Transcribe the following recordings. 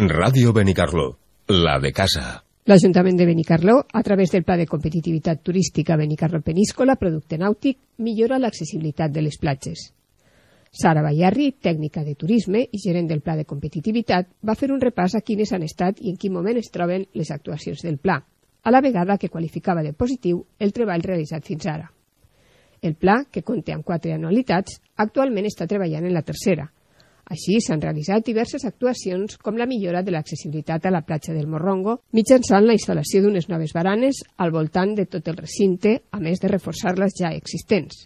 Ràdio Benicarló, la de casa. L'Ajuntament de Benicarló, a través del Pla de Competitivitat Turística Benicarló Peníscola, producte nàutic, millora l'accessibilitat de les platges. Sara Bayarri, tècnica de turisme i gerent del Pla de Competitivitat, va fer un repàs a quines han estat i en quin moment es troben les actuacions del pla, a la vegada que qualificava de positiu el treball realitzat fins ara. El pla, que compta amb 4 anualitats, actualment està treballant en la tercera. Així, s'han realitzat diverses actuacions com la millora de l'accessibilitat a la platja del Morrongo mitjançant la instal·lació d'unes noves baranes al voltant de tot el recinte, a més de reforçar les ja existents.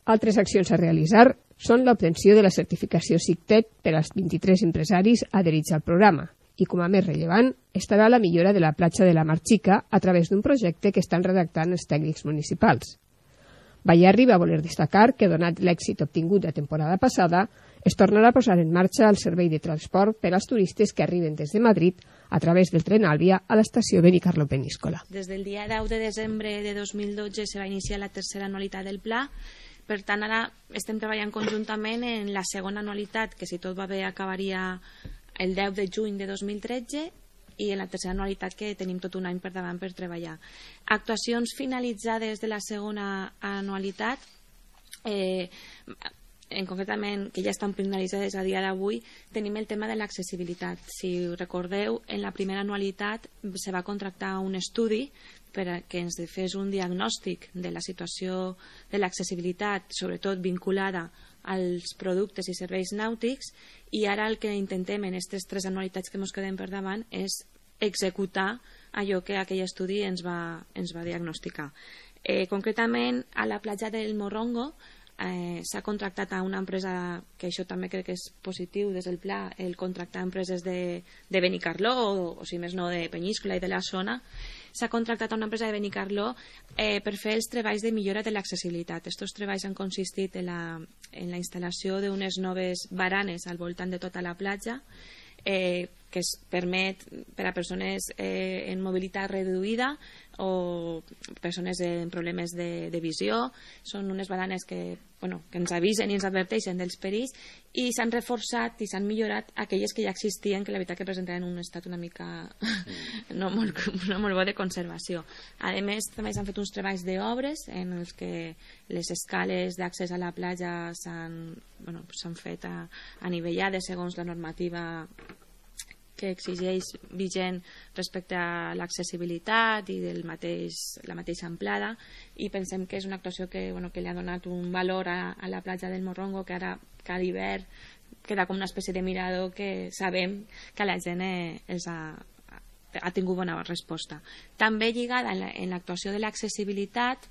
Altres accions a realitzar són l'obtenció de la certificació SICTET per als 23 empresaris adherits al programa i, com a més rellevant, estarà la millora de la platja de la Mar Xica a través d'un projecte que estan redactant els tècnics municipals. Bayarri va voler destacar que, donat l'èxit obtingut la temporada passada, es tornarà a posar en marxa el servei de transport per als turistes que arriben des de Madrid a través del tren Àlvia a l'estació Benicarló Peníscola. Des del dia 10 de desembre de 2012 se va iniciar la tercera anualitat del pla. Per tant, ara estem treballant conjuntament en la segona anualitat, que si tot va bé acabaria el 10 de juny de 2013, i en la tercera anualitat, que tenim tot un any per davant per treballar. Actuacions finalitzades de la segona anualitat, concretament, que ja estan finalitzades a dia d'avui, tenim el tema de l'accessibilitat. Si recordeu, en la primera anualitat se va contractar un estudi perquè ens fes un diagnòstic de la situació de l'accessibilitat, sobretot vinculada als productes i serveis nàutics, i ara el que intentem en aquestes 3 anualitats que ens quedem per davant és executar allò que aquell estudi ens va diagnosticar. Concretament, a la platja del Morrongo s'ha contractat a una empresa, que això també crec que és positiu des del pla, el contractar empreses de Benicarló, o si més no de Peníscola i de la zona. S'ha contractat a una empresa de Benicarló per fer els treballs de millora de l'accessibilitat. Aquests treballs han consistit en la instal·lació d'unes noves baranes al voltant de tota la platja, que es permet per a persones en mobilitat reduïda o persones amb problemes de visió. Són unes baranes que ens avisen i ens adverteixen dels perills, i s'han reforçat i s'han millorat aquelles que ja existien, que la veritat que presentaven un estat una mica no molt bo de conservació. A més, també s'han fet uns treballs d'obres en els que les escales d'accés a la platja s'han fet anivellades segons la normativa que exigeix vigent respecte a l'accessibilitat i la mateixa amplada, i pensem que és una actuació que li ha donat un valor a la platja del Morrongo, que ara cada hivern queda com una espècie de mirador que sabem que la gent ha tingut bona resposta. També lligada en l'actuació de l'accessibilitat,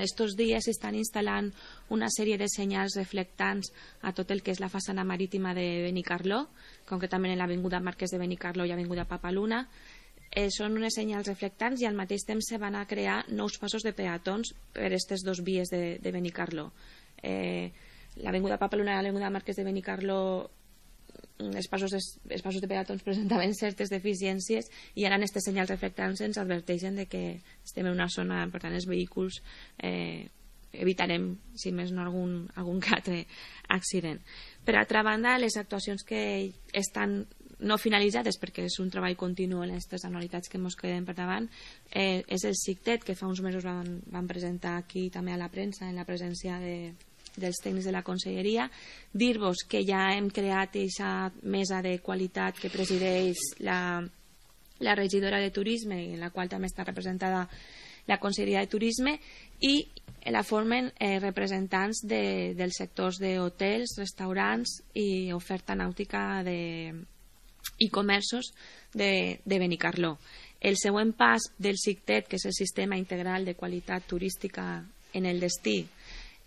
estos dies s'estan instal·lant una sèrie de senyals reflectants a tot el que és la façana marítima de Benicarló, concretament en l'avinguda Marquès de Benicarló i avinguda Papaluna. Són unes senyals reflectants i al mateix temps se van a crear nous passos de peatons per aquestes 2 vies de Benicarló. L'avinguda Papaluna i l'avinguda Marquès de Benicarló, els passos de peatons presentaven certes deficiències, i ara en aquestes senyals reflectants ens adverteixen de que estem en una zona, per tant els vehicles evitarem, si més no, algun que altre accident. Per altra banda, les actuacions que estan no finalitzades, perquè és un treball continu en aquestes anualitats que ens quedem per davant, és el SICTET, que fa uns mesos van presentar aquí també a la premsa, en la presència dels tècnics de la conselleria. Dir-vos que ja hem creat aquesta mesa de qualitat que presideix la regidora de turisme, en la qual també està representada la conselleria de turisme, i la formen representants dels sectors d'hotels, restaurants i oferta nàutica i comerços de Benicarló. El següent pas del SICTET, que és el Sistema Integral de Qualitat Turística en el Destí,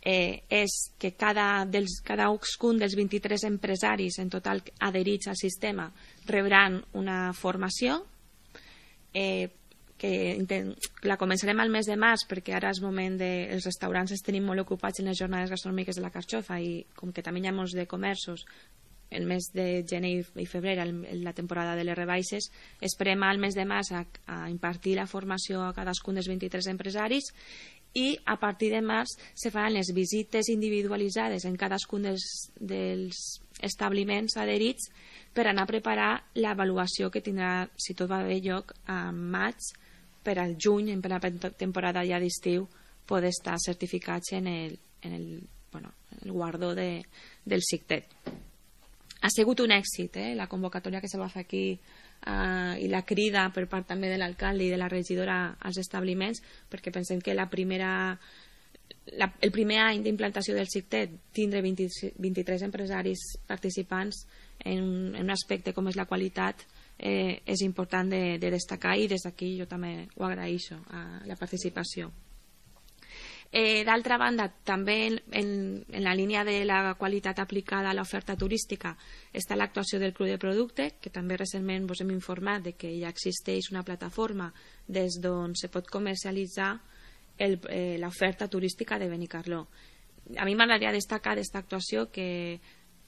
és que cadascun dels 23 empresaris en total adherits al sistema rebran una formació, que la començarem al mes de març, perquè ara és moment els restaurants els tenim molt ocupats en les jornades gastronòmiques de la Carxofa, i com que també hi ha molts de comerços el mes de gener i febrer, la temporada de les rebaixes, esperem al mes de març a impartir la formació a cadascun dels 23 empresaris, i a partir de març se faran les visites individualitzades en cadascun dels establiments adherits per anar a preparar l'avaluació que tindrà, si tot va bé, lloc a maig, per al juny, en plena temporada ja d'estiu, poder estar certificats en el guardó del CICTET. Ha sigut un èxit, la convocatòria que se va fer aquí i la crida per part també de l'alcalde i de la regidora als establiments, perquè pensem que el primer any d'implantació del CICTET tindre 23 empresaris participants en un aspecte com és la qualitat és important de destacar, i des d'aquí jo també ho agraeixo, la participació. D'altra banda, també en la línia de la qualitat aplicada a l'oferta turística està l'actuació del Club de Producte, que també recentment us hem informat de que ja existeix una plataforma des d'on se pot comercialitzar l'oferta turística de Benicarló. A mi m'agradaria destacar d'esta actuació que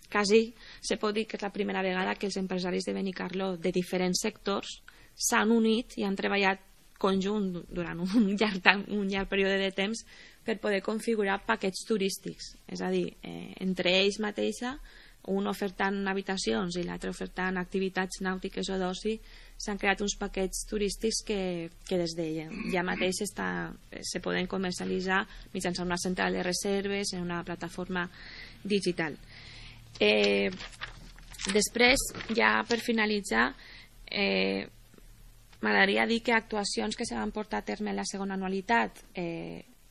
quasi se pot dir que és la primera vegada que els empresaris de Benicarló de diferents sectors s'han unit i han treballat conjunt durant un llarg període de temps per poder configurar paquets turístics, és a dir, entre ells mateixa, un ofertant habitacions i l'altre ofertant activitats nàutiques o d'oci, s'han creat uns paquets turístics que des de ja mateix se poden comercialitzar mitjançant una central de reserves en una plataforma digital. Després, ja per finalitzar, m'agradaria dir que actuacions que se van portar a terme en la segona anualitat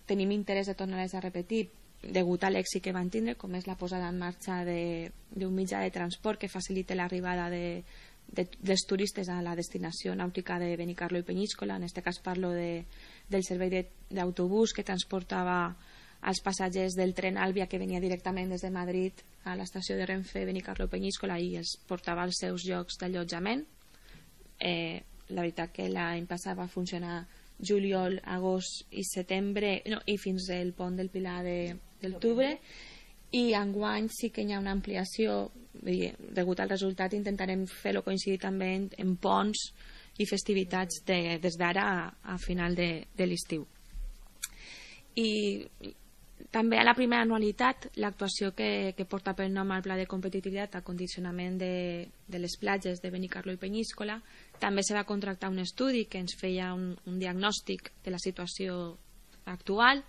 tenim interès de tornar-les a repetir degut a l'èxit que van tindre, com és la posada en marxa d'un mitjà de transport que facilite l'arribada dels turistes a la destinació nàutica de Benicarló i Peníscola. En aquest cas parlo del servei d'autobús que transportava els passatgers del tren Àlvia, que venia directament des de Madrid a l'estació de Renfe Benicarló i Peníscola i els portava als seus llocs d'allotjament. La veritat que l'any passat va funcionar juliol, agost i setembre, i fins al pont del Pilar d'octubre, i enguany sí que hi ha una ampliació. Degut al resultat intentarem fer-lo coincidir també en ponts i festivitats des d'ara a final de l'estiu. I també a la primera anualitat l'actuació que porta per nom al Pla de Competitivitat a condicionament de les platges de Benicarló i Peníscola, també se va contractar un estudi que ens feia un diagnòstic de la situació actual,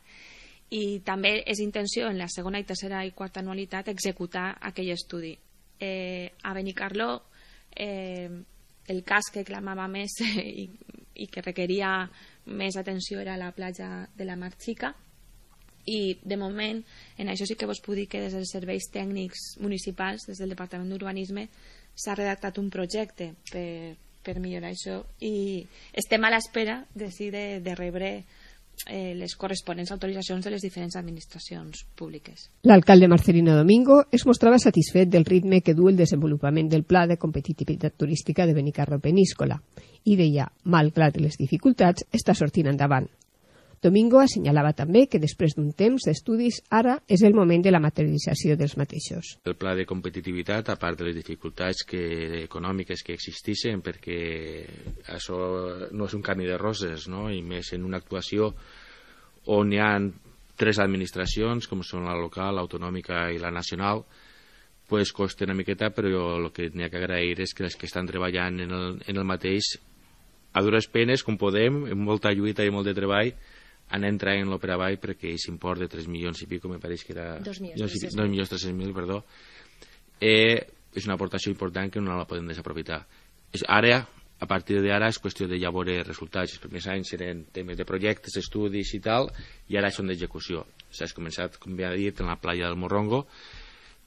i també és intenció en la segona i tercera i quarta anualitat executar aquell estudi. A Benicarló el cas que clamava més i que requeria més atenció era la platja de la Mar Xica, i de moment en això sí que vos puc dir que des dels serveis tècnics municipals, des del Departament d'Urbanisme, s'ha redactat un projecte per millorar això, i estem a l'espera de rebre les corresponents autoritzacions de les diferents administracions públiques. L'alcalde Marcelino Domingo es mostrava satisfet del ritme que du el desenvolupament del Pla de Competitivitat Turística de Benicarló Peníscola i deia, malgrat les dificultats, està sortint endavant. Domingo assenyalava també que després d'un temps d'estudis ara és el moment de la materialització dels mateixos. El pla de competitivitat, a part de les dificultats econòmiques que existeixen, perquè això no és un camí de roses, no? I més en una actuació on hi ha 3 administracions, com són la local, l'autonòmica i la nacional, pues costa una miqueta, però el que n'hi ha que agrair és que les que estan treballant en el mateix, a dures penes, com podem, amb molta lluita i molt de treball, han entrat en l'Opera Vall perquè aquest import de 3 milions i pico, me pareix que era 2.300.000, perdó, és una aportació important que no la podem desaprofitar. Ara, a partir d'ara, és qüestió de ja veure resultats. Els primers anys eren temes de projectes, estudis i tal, i ara són d'execució. S'ha començat, com bé ha dit, en la playa del Morrongo,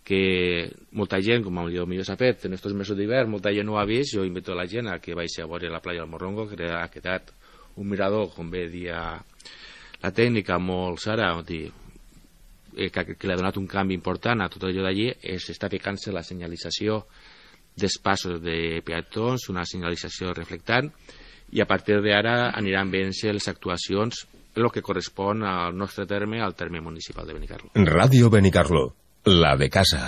que molta gent, com millor s'ha fet, en aquests mesos d'hivern, molta gent no ho ha vist. Jo invito a la gent a que vagi a veure la playa del Morrongo, que ha quedat un mirador, com bé dia la tècnica, molt Sara, que li ha donat un canvi important a tot allò d'allí. S'està ficant-se la senyalització dels passos de peatons, una senyalització reflectant, i a partir d'ara aniran veient-se les actuacions el que correspon al nostre terme, al terme municipal de Benicarló. Radio Benicarló, la de casa.